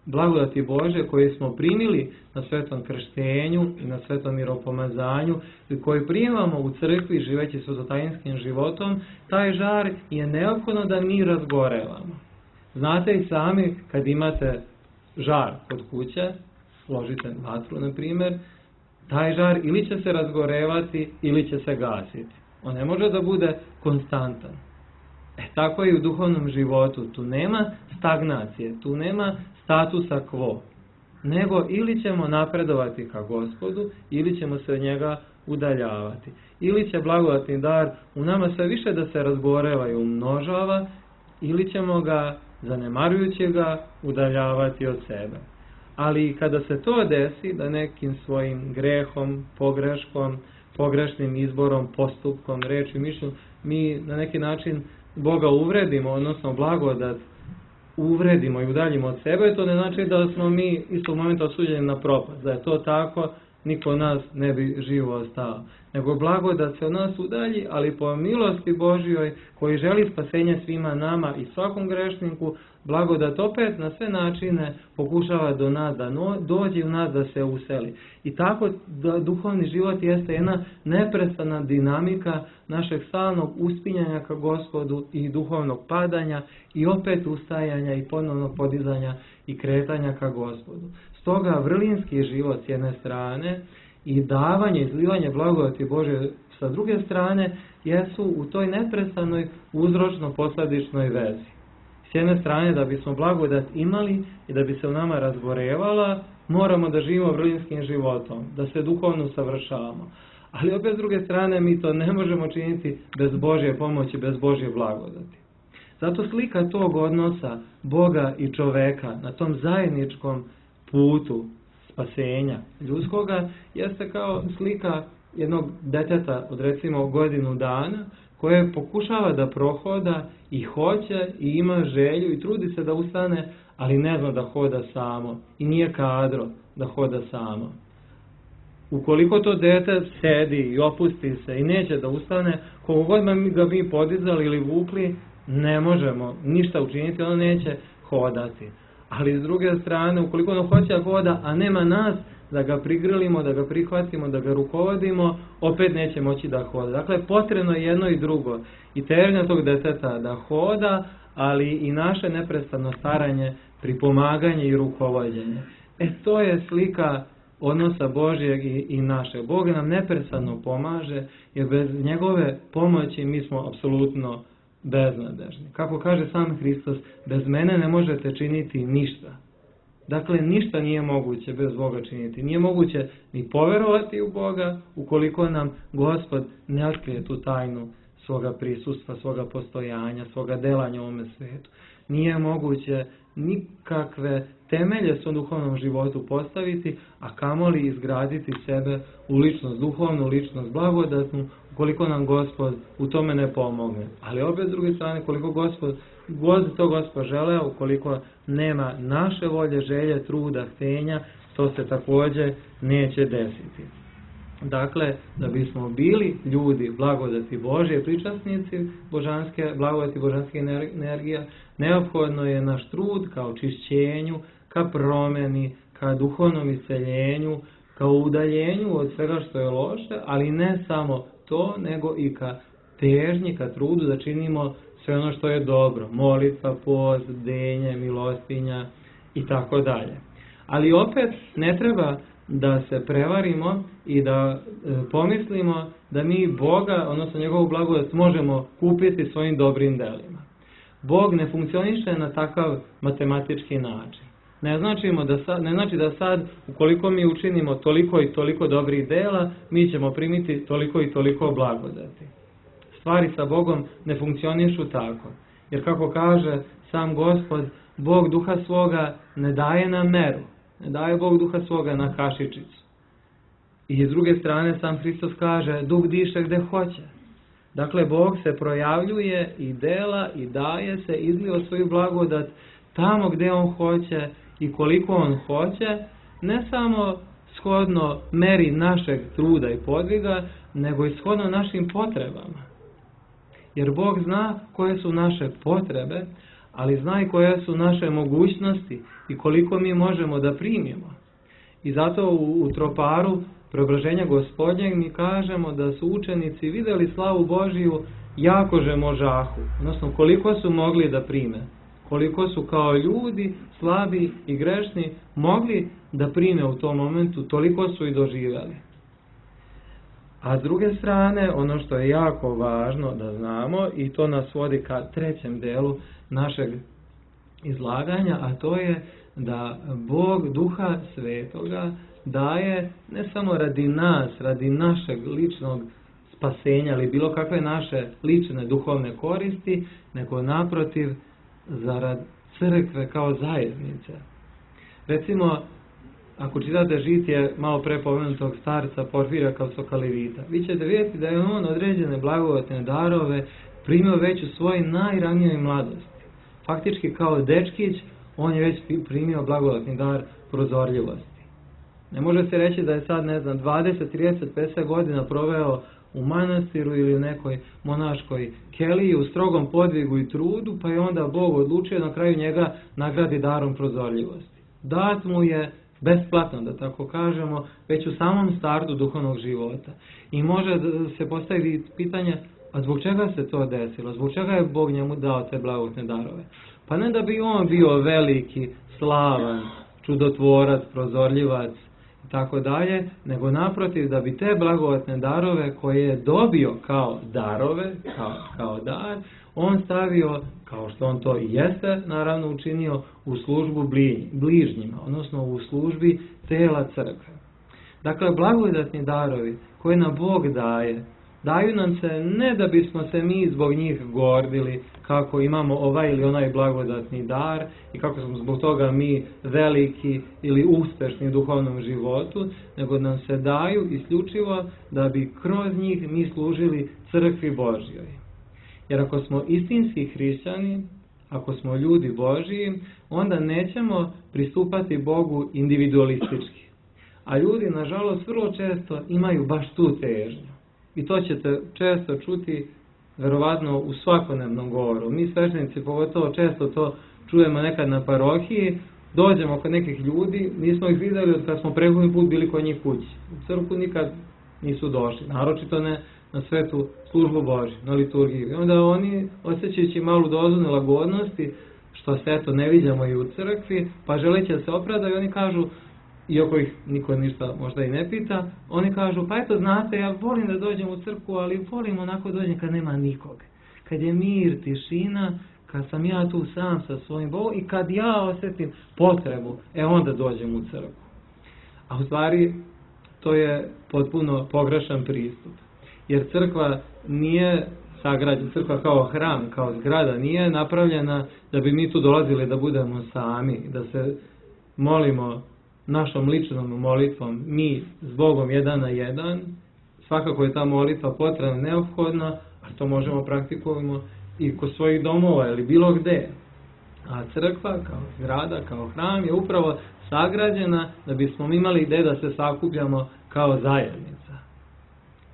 blagodati Božje koji smo primili na svetom krštenju i na svetom miropomazanju i koji primamo u crkvi živeći svetotajinskim životom, taj žar je neophodno da mi razgorevamo. Znate i sami kad imate žar kod kuće, složite vatru na primjer, taj žar ili će se razgorevati ili će se gasiti. On ne može da bude konstantan. Tako je i u duhovnom životu. Tu nema stagnacije, tu nema statusa quo. Nego ili ćemo napredovati ka Gospodu, ili ćemo se od njega udaljavati. Ili će blagodatni dar u nama sve više da se razgoreva i umnožava, ili ćemo ga, zanemarujući ga, udaljavati od sebe. Ali kada se to desi, da nekim svojim grehom, pogreškom, pogrešnim izborom, postupkom, reči, mišlju, mi na neki način Boga uvredimo, odnosno blagodat uvredimo i udaljimo od sebe, to ne znači da smo mi istog momenta osuđeni na propast. Da je to tako, niko od nas ne bi živo ostao. Nego blagodat se od nas udalji, ali po milosti Božjoj, koji želi spasenje svima nama i svakom grešniku, blagodat opet na sve načine pokušava do nas da dođe u nas da se useli. I tako da duhovni život jeste jedna neprestana dinamika našeg stalnog uspinjanja ka Gospodu i duhovnog padanja i opet ustajanja i ponovnog podizanja i kretanja ka Gospodu. Stoga vrlinski život s jedne strane i davanje, izlivanje blagodati Božje sa druge strane jesu u toj neprestanoj uzročno-posledičnoj vezi. S jedne strane, da bismo blagodat imali i da bi se u nama razgorevala, moramo da živimo vrlinskim životom, da se duhovno usavršavamo. Ali opet s druge strane, mi to ne možemo činiti bez Božje pomoći, bez Božje blagodati. Zato slika tog odnosa Boga i čoveka na tom zajedničkom putu spasenja ljudskoga jeste kao slika jednog deteta od recimo godinu dana koje pokušava da prohoda i hoće i ima želju i trudi se da ustane, ali ne zna da hoda samo i nije kadro da hoda samo. Ukoliko to dete sedi i opusti se i neće da ustane, koliko god ga mi podizali ili vukli, ne možemo ništa učiniti, ono neće hodati. Ali s druge strane, ukoliko ono hoće da hoda, a nema nas da ga prigrlimo, da ga prihvatimo, da ga rukovodimo, opet neće moći da hoda. Dakle, potrebno je jedno i drugo. I težnja tog deteta da hoda, ali i naše neprestano staranje, pripomaganje i rukovođenje. To je slika odnosa Božjeg i našeg. Bog nam neprestano pomaže, jer bez njegove pomoći mi smo apsolutno beznadežni. Kako kaže sam Hristos, bez mene ne možete činiti ništa. Dakle, ništa nije moguće bez Boga činiti. Nije moguće ni poverovati u Boga ukoliko nam Gospod ne otkrije tu tajnu svoga prisustva, svoga postojanja, svoga delanja u ovome svijetu. Nije moguće nikakve temelje svom duhovnom životu postaviti, a kamoli izgraditi sebe u ličnost duhovnu, ličnost blagodatnu, ukoliko nam Gospod u tome ne pomogne. Ali opet s druge strane, koliko Gospod žele, ukoliko nema naše volje, želje, truda, htenja, to se također neće desiti. Dakle, da bismo bili ljudi blagodati Božje, pričasnici blagodati božanske energija, neophodno je naš trud ka očišćenju, ka promjeni, ka duhovnom isceljenju, ka udaljenju od svega što je loše, ali ne samo to, nego i ka težnji, ka trudu da činimo sve ono što je dobro. Molitva, post, bdenje, milostinja i tako dalje. Ali opet ne treba da se prevarimo i da pomislimo da mi Boga, odnosno njegovu blagodat, možemo kupiti svojim dobrim delima. Bog ne funkcioniše na takav matematički način. Ne znači da sad, ukoliko mi učinimo toliko i toliko dobrih dela, mi ćemo primiti toliko i toliko blagodati. Stvari sa Bogom ne funkcionišu tako. Jer kako kaže sam Gospod, Bog duha svoga ne daje na meru. Ne daje Bog duha svoga na kašičicu. I s druge strane sam Hristos kaže, duh diše gde hoće. Dakle, Bog se projavljuje i dela i daje se, izliva svoju blagodat tamo gdje on hoće i koliko on hoće, ne samo shodno meri našeg truda i podviga, nego i shodno našim potrebama. Jer Bog zna koje su naše potrebe, ali zna i koje su naše mogućnosti i koliko mi možemo da primimo. I zato u troparu preobraženja Gospodnjeg mi kažemo da su učenici vidjeli slavu Božiju jako že možahu, odnosno koliko su mogli da prime, koliko su kao ljudi slabi i grešni mogli da prime u tom momentu, toliko su i doživjeli. A s druge strane, ono što je jako važno da znamo, i to nas vodi ka trećem delu našeg izlaganja, a to je da Bog Duha Svetoga daje ne samo radi nas, radi našeg ličnog spasenja ili bilo kakve naše lične duhovne koristi, nego naprotiv zarad crkve kao zajednice. Recimo, ako čitate žitije malo pre pomenutog starca Porfirija Kavsokalivita, vi ćete vidjeti da je on određene blagodatne darove primio već u svojoj najranijoj mladosti. Faktički kao dečkić, on je već primio blagodatni dar prozorljivosti. Ne može se reći da je sad, 20, 30, 50 godina proveo u manastiru ili u nekoj monaškoj keliji u strogom podvigu i trudu, pa je onda Bog odlučio na kraju njega nagradi darom prozorljivosti. Dat mu je besplatno, da tako kažemo, već u samom startu duhovnog života. I može se postaviti pitanje, a zbog čega se to desilo? Zbog čega je Bog njemu dao te blagodatne darove? Pa ne da bi on bio veliki, slavan, čudotvorac, prozorljivac i tako dalje, nego naprotiv da bi te blagodatne darove koje je dobio kao darove, kao dar, on stavio, kao što on to i jeste naravno učinio, u službu bližnjima, odnosno u službi tela crkve. Dakle, blagodatni darovi koje nam Bog daje, daju nam se ne da bismo se mi zbog njih gordili kako imamo ovaj ili onaj blagodatni dar i kako smo zbog toga mi veliki ili uspešni u duhovnom životu, nego nam se daju isključivo da bi kroz njih mi služili crkvi Božjoj. Jer ako smo istinski hrišćani, ako smo ljudi Božji, onda nećemo pristupati Bogu individualistički. A ljudi, nažalost, vrlo često imaju baš tu težnju. I to ćete često čuti, verovatno, u svakodnevnom govoru. Mi sveštenici pogotovo često to čujemo nekad na parohiji, dođemo kod nekih ljudi, nismo ih vidjeli od kad smo prethodni put bili kod njih kući. U crkvu nikad nisu došli, naročito ne na svetu službu Božju, na liturgiju. I onda oni, osjećajući malu dozu nelagodnosti, što se eto ne vidimo i u crkvi, pa želeći da se opravdaju, oni kažu, iako ih niko ništa možda i ne pita, oni kažu, pa eto znate, ja volim da dođem u crkvu, ali volim onako dođem kad nema nikog. Kad je mir, tišina, kad sam ja tu sam sa svojim Bogom i kad ja osjetim potrebu, onda dođem u crkvu. A u stvari, to je potpuno pogrešan pristup. Jer crkva nije sagrađena, crkva kao hram, kao zgrada, nije napravljena da bi mi tu dolazili da budemo sami, da se molimo našom ličnom molitvom, mi s Bogom jedan na jedan. Svakako je ta molitva potrebna, neophodna, a to možemo praktikujemo i kod svojih domova ili bilo gde. A crkva kao zgrada, kao hram je upravo sagrađena da bismo imali gde da se sakupljamo kao zajednica.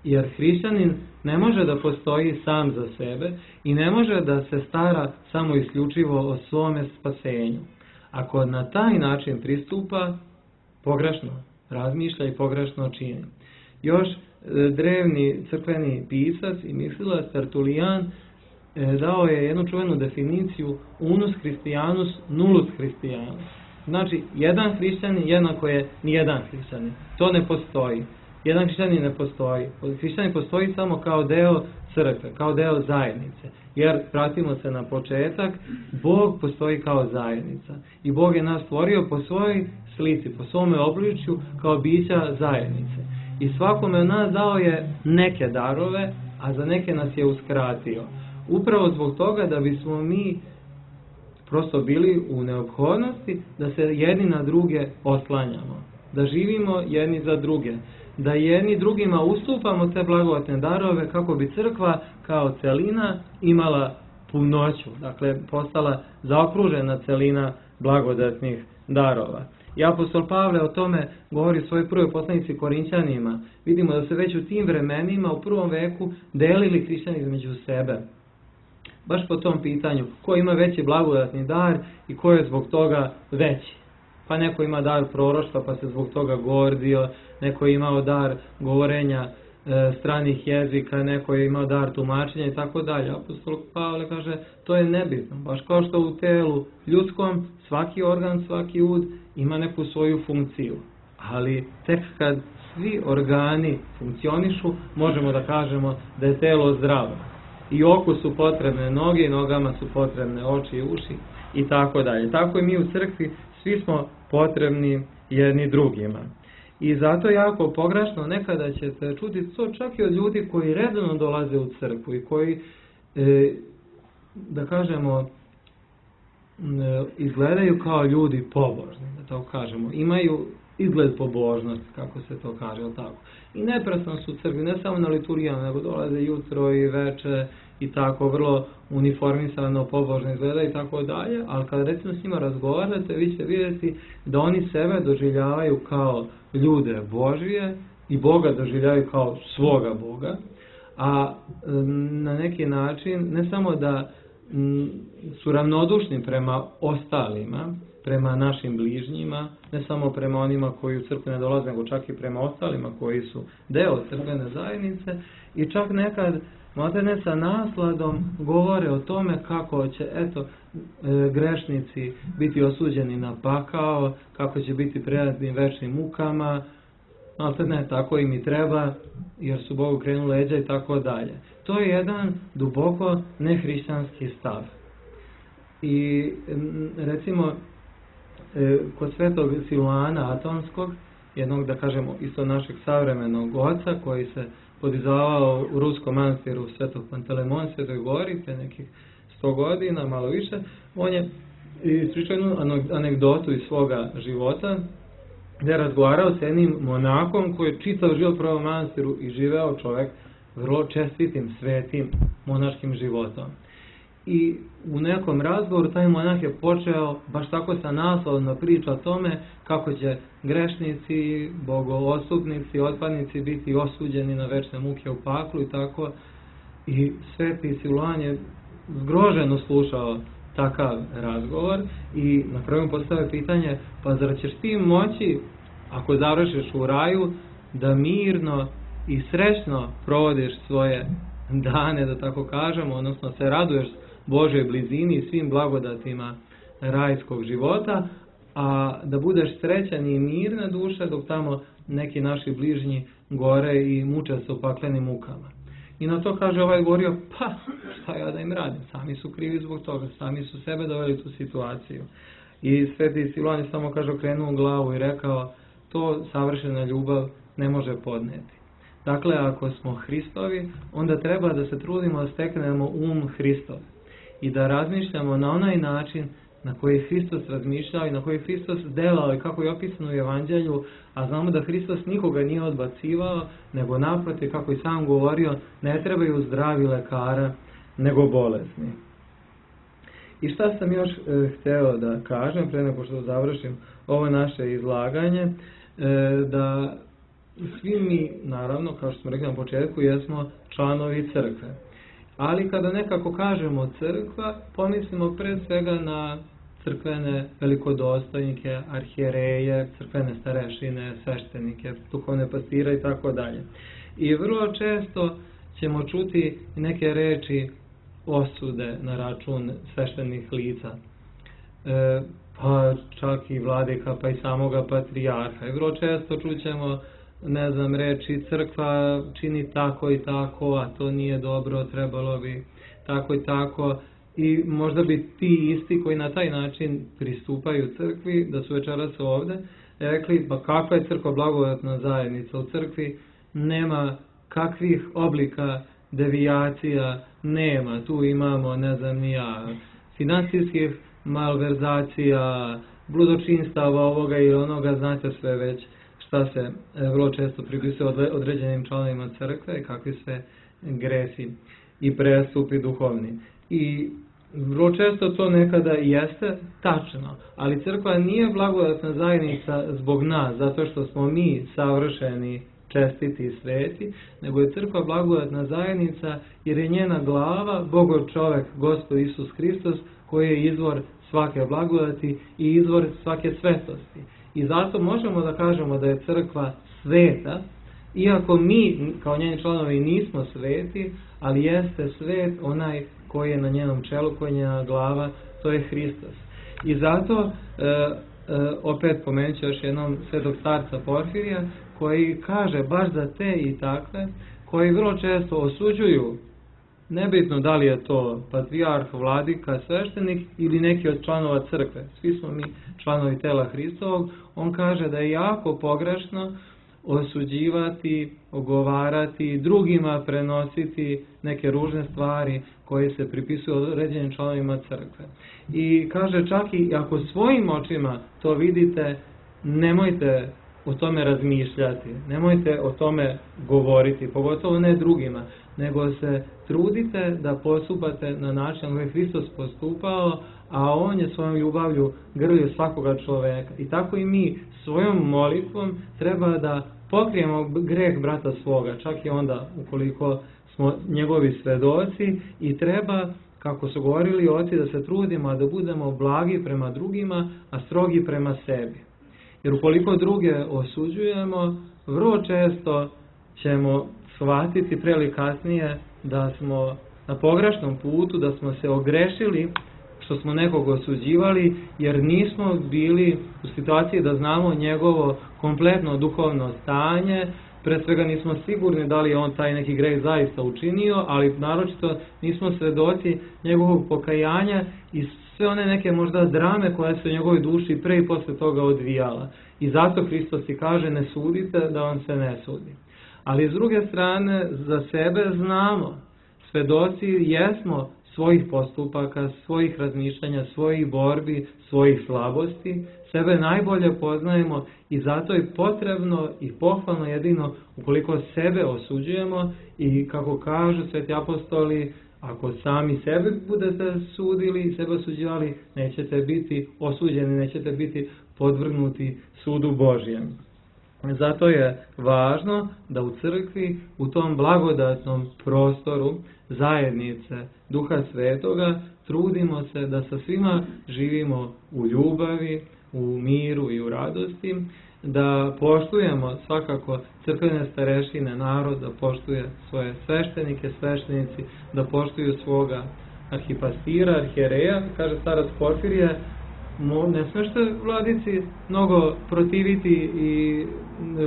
Jer hrišćanin ne može da postoji sam za sebe i ne može da se stara samo isključivo o svome spasenju. Ako na taj način pristupa, pogrešno razmišlja i pogrešno čini. Još drevni crkveni pisac i mislilac Tertulijan dao je jednu čuvenu definiciju unus Christianus nullus Christianus. Znači, jedan hrišćanin jednako je nijedan hrišćanin. To ne postoji. Jedan hrišćanin ne postoji. Hrišćanin postoji samo kao deo crkve, kao deo zajednice. Jer, pratimo se na početak, Bog postoji kao zajednica. I Bog je nas stvorio po svojoj slici, po svome obličju, kao bića zajednice. I svakome od nas dao je neke darove, a za neke nas je uskratio. Upravo zbog toga da bismo mi prosto bili u neophodnosti da se jedni na druge oslanjamo. Da živimo jedni za druge. Da jedni drugima ustupamo te blagodatne darove kako bi crkva kao celina imala punoću. Dakle, postala zaokružena celina blagodatnih darova. I apostol Pavle o tome govori u svojoj prvoj poslanici Korinćanima. Vidimo da se već u tim vremenima, u prvom veku, delili hrišćani između sebe. Baš po tom pitanju, ko ima veći blagodatni dar i ko je zbog toga veći. Pa neko ima dar proroštva pa se zbog toga gordio, neko je imao dar govorenja stranih jezika, neko je imao dar tumačenja i tako dalje. Apostol Pavle kaže, to je nebitno. Baš kao što u telu ljudskom svaki organ, svaki ud ima neku svoju funkciju. Ali tek kad svi organi funkcionišu, možemo da kažemo da je telo zdravo. I oku su potrebne noge, i nogama su potrebne oči i uši i tako dalje. Tako i mi u crkvi svi smo potrebni jedni drugima. I zato je jako pogrešno, nekada ćete čuti to čak i od ljudi koji redovno dolaze u crkvu i koji, da kažemo, izgledaju kao ljudi pobožni, da tako kažemo. Imaju izgled pobožnosti, kako se to kaže, tako. I neprestano su u crkvi, ne samo na liturgijama, nego dolaze jutro i veče i tako, vrlo uniformisano, pobožno izgleda i tako dalje, ali kada recimo s njima razgovarate, vi ćete vidjeti da oni sebe doživljavaju kao ljude Božije i Boga doživljavaju kao svoga Boga, a na neki način ne samo da su ravnodušni prema ostalima, prema našim bližnjima, ne samo prema onima koji u crkvu ne dolaze, nego čak i prema ostalima koji su deo crkvene zajednice i čak nekad maltene sa nasladom govore o tome kako će, grešnici biti osuđeni na pakao, kako će biti predani večnim mukama, maltene tako im i treba, jer su Bogu krenuli leđa i tako dalje. To je jedan duboko nehrišćanski stav. I recimo, kod svetog Siluana Atonskog, jednog, da kažemo, isto našeg savremenog oca, koji se podizavao u ruskom manastiru Svetog Pantelemon, Svetoj Gori, te nekih 100 godina, malo više, on je ispričao jednu anegdotu iz svoga života, gdje je razgovarao s jednim monakom koji je čitav život proveo u manastiru i živeo čovjek vrlo čestitim, svetim monaškim životom. I u nekom razgovoru taj monah je počeo baš tako sa naslovom da priča o tome kako će grešnici, bogoostupnici, otpadnici biti osuđeni na večne muke u paklu i tako. I sveti Siluan je zgroženo slušao takav razgovor i na kraju postavio pitanje, pa zar ćeš ti moći, ako završiš u raju, da mirno i srećno provodiš svoje dane, da tako kažemo, odnosno se raduješ Božoj blizini i svim blagodatima rajskog života, a da budeš srećan i mirna duša dok tamo neki naši bližnji gore i muče se u paklenim mukama. I na to kaže ovaj govorio, pa šta ja da im radim, sami su krivi zbog toga, sami su sebe doveli u tu situaciju. I Sveti Silvan je samo, kaže, okrenuo glavu i rekao, to savršena ljubav ne može podneti. Dakle, ako smo Hristovi, onda treba da se trudimo da steknemo Hristov i da razmišljamo na onaj način na koji je Hristos razmišljao i na koji je Hristos delao i kako je opisano u Evanđelju, a znamo da Hristos nikoga nije odbacivao, nego naprotiv, kako je sam govorio, ne trebaju zdravi lekara, nego bolesni. I šta sam još hteo da kažem, pre nego što završim ovo naše izlaganje, da svi mi, naravno, kao što smo rekli na početku, jesmo članovi crkve. Ali kada nekako kažemo crkva, pomislimo pre svega na crkvene velikodostojnike, arhijereje, crkvene starešine, sveštenike, duhovne pastire i tako dalje. I vrlo često ćemo čuti neke reči osude na račun sveštenih lica, pa čak i vladika, pa i samoga patrijarha. I vrlo često čućemo, ne znam, reči crkva čini tako i tako, a to nije dobro, trebalo bi tako i tako. I možda bi ti isti koji na taj način pristupaju crkvi, da su večeras ovde, rekli, pa kakva je crkva blagodatna zajednica? U crkvi nema kakvih oblika devijacija, nema. Tu imamo, ne znam ni ja, finansijskih malverzacija, bludočinstava ovoga i onoga, znate sve već šta se vrlo često pripisuje određenim članovima crkve i kakvi sve gresi i prestupi duhovni. I vrlo često to nekada jeste tačno, ali crkva nije blagodatna zajednica zbog nas, zato što smo mi savršeni, čestiti i sveti, nego je crkva blagodatna zajednica jer je njena glava Bogov čovek, Gospod Isus Hristos, koji je izvor svake blagodati i izvor svake svetosti. I zato možemo da kažemo da je crkva sveta, iako mi kao njeni članovi nismo sveti, ali jeste svet onaj koji je na njenom čelu, koji je njena glava, to je Hristos. I zato, opet pomenut ću još jednom svetog starca Porfirija, koji kaže baš za te i takve, koji vrlo često osuđuju, nebitno da li je to patrijarh, vladika, sveštenik ili neki od članova crkve, svi smo mi članovi tela Hristovog, on kaže da je jako pogrešno osuđivati, ogovarati, drugima prenositi neke ružne stvari koje se pripisuju određenim članovima crkve. I kaže čak i ako svojim očima to vidite, nemojte o tome razmišljati, nemojte o tome govoriti, pogotovo ne drugima, nego se trudite da postupate na način koji je Hristos postupao, a on je svojom ljubavlju grlio svakoga čoveka. I tako i mi svojom molitvom treba da pokrijemo greh brata svoga, čak i onda ukoliko smo njegovi svedoci, i treba, kako su govorili oci, da se trudimo da budemo blagi prema drugima, a strogi prema sebi. Jer ukoliko druge osuđujemo, vrlo često ćemo shvatiti pre ili kasnije da smo na pogrešnom putu, da smo se ogrešili što smo nekog osuđivali, jer nismo bili u situaciji da znamo njegovo kompletno duhovno stanje. Pre svega nismo sigurni da li je on taj neki greh zaista učinio, ali naročito nismo svedoci njegovog pokajanja i sve one neke možda drame koje se u njegovoj duši pre i posle toga odvijala. I zato Hristos i kaže, ne sudite da vam se ne sudi. Ali s druge strane, za sebe znamo, svedoci jesmo svojih postupaka, svojih razmišljanja, svojih borbi, svojih slabosti, sebe najbolje poznajemo i zato je potrebno i pohvalno jedino ukoliko sebe osuđujemo i kako kažu sveti apostoli, ako sami sebe budete sudili i sebe osuđivali, nećete biti osuđeni, nećete biti podvrgnuti sudu Božjem. Zato je važno da u crkvi, u tom blagodatnom prostoru zajednice Duha Svetoga, trudimo se da sa svima živimo u ljubavi, u miru i u radosti, da poštujemo svakako crkvene starešine, narod, da poštuje svoje sveštenike, sveštenici, da poštuju svoga arhipastira, arhijereja, kaže starac Porfirije, ne smeš se vladici mnogo protiviti i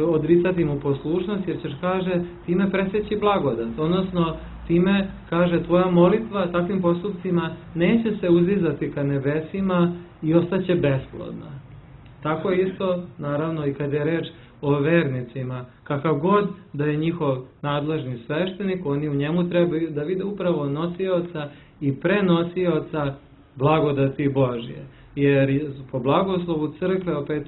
odricati mu poslušnost, jer ćeš, kaže, time preseći blagodat, odnosno time, kaže, tvoja molitva takvim postupcima neće se uzizati ka nebesima i ostaće besplodna. Tako isto, naravno, i kad je reč o vernicima, kakav god da je njihov nadležni sveštenik, oni u njemu trebaju da vide upravo nosioca i prenosioca blagodati Božje. Jer po blagoslovu crkve, opet,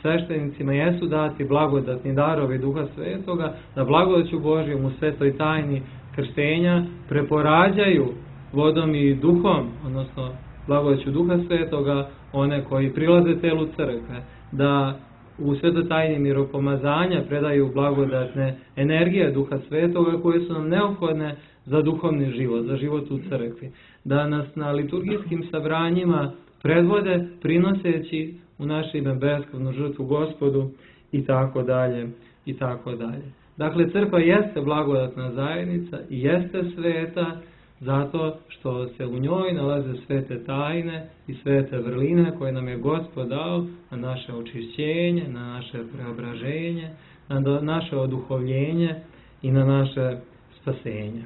sveštenicima jesu dati blagodatni darovi Duha Svetoga, da blagodaću Božjom u svetoj tajni krštenja preporađaju vodom i duhom, odnosno blagodaću Duha Svetoga, one koji prilaze telu crkve, da u svetoj tajni miropomazanja predaju blagodatne energije Duha Svetoga koje su nam neophodne za duhovni život, za život u crkvi, da nas na liturgijskim sabranjima predvode prinoseći u naše ime beskrvnu žrtvu Gospodu i tako dalje i tako dalje. Dakle, crkva jeste blagodatna zajednica i jeste sveta zato što se u njoj nalaze svete tajne i svete vrline koje nam je Gospod dao na naše očišćenje, na naše preobraženje, na naše oduhovljenje i na naše spasenje.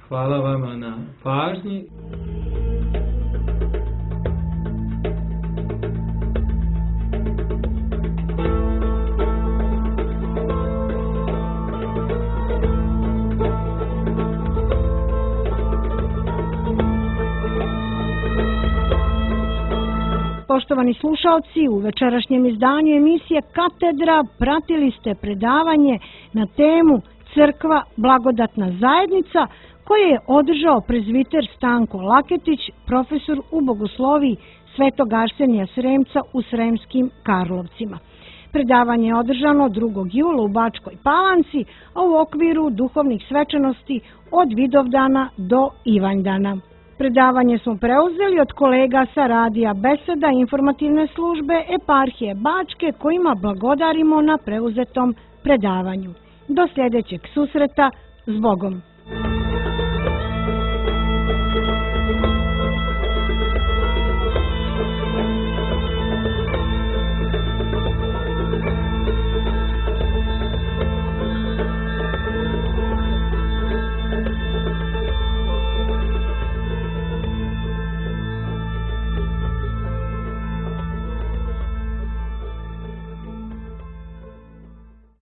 Hvala vama na pažnji. Poštovani slušalci, u večerašnjem izdanju emisije Katedra pratili ste predavanje na temu Crkva blagodatna zajednica koje je održao prezbiter Stanko Laketić, profesor u bogosloviji Svetog Arsenija Sremca u Sremskim Karlovcima. Predavanje je održano 2. jula u Bačkoj Palanci, a u okviru duhovnih svečanosti od Vidovdana do Ivanjdana. Predavanje smo preuzeli od kolega sa radija Beseda informativne službe Eparhije Bačke kojima blagodarimo na preuzetom predavanju. Do sljedećeg susreta, s Bogom!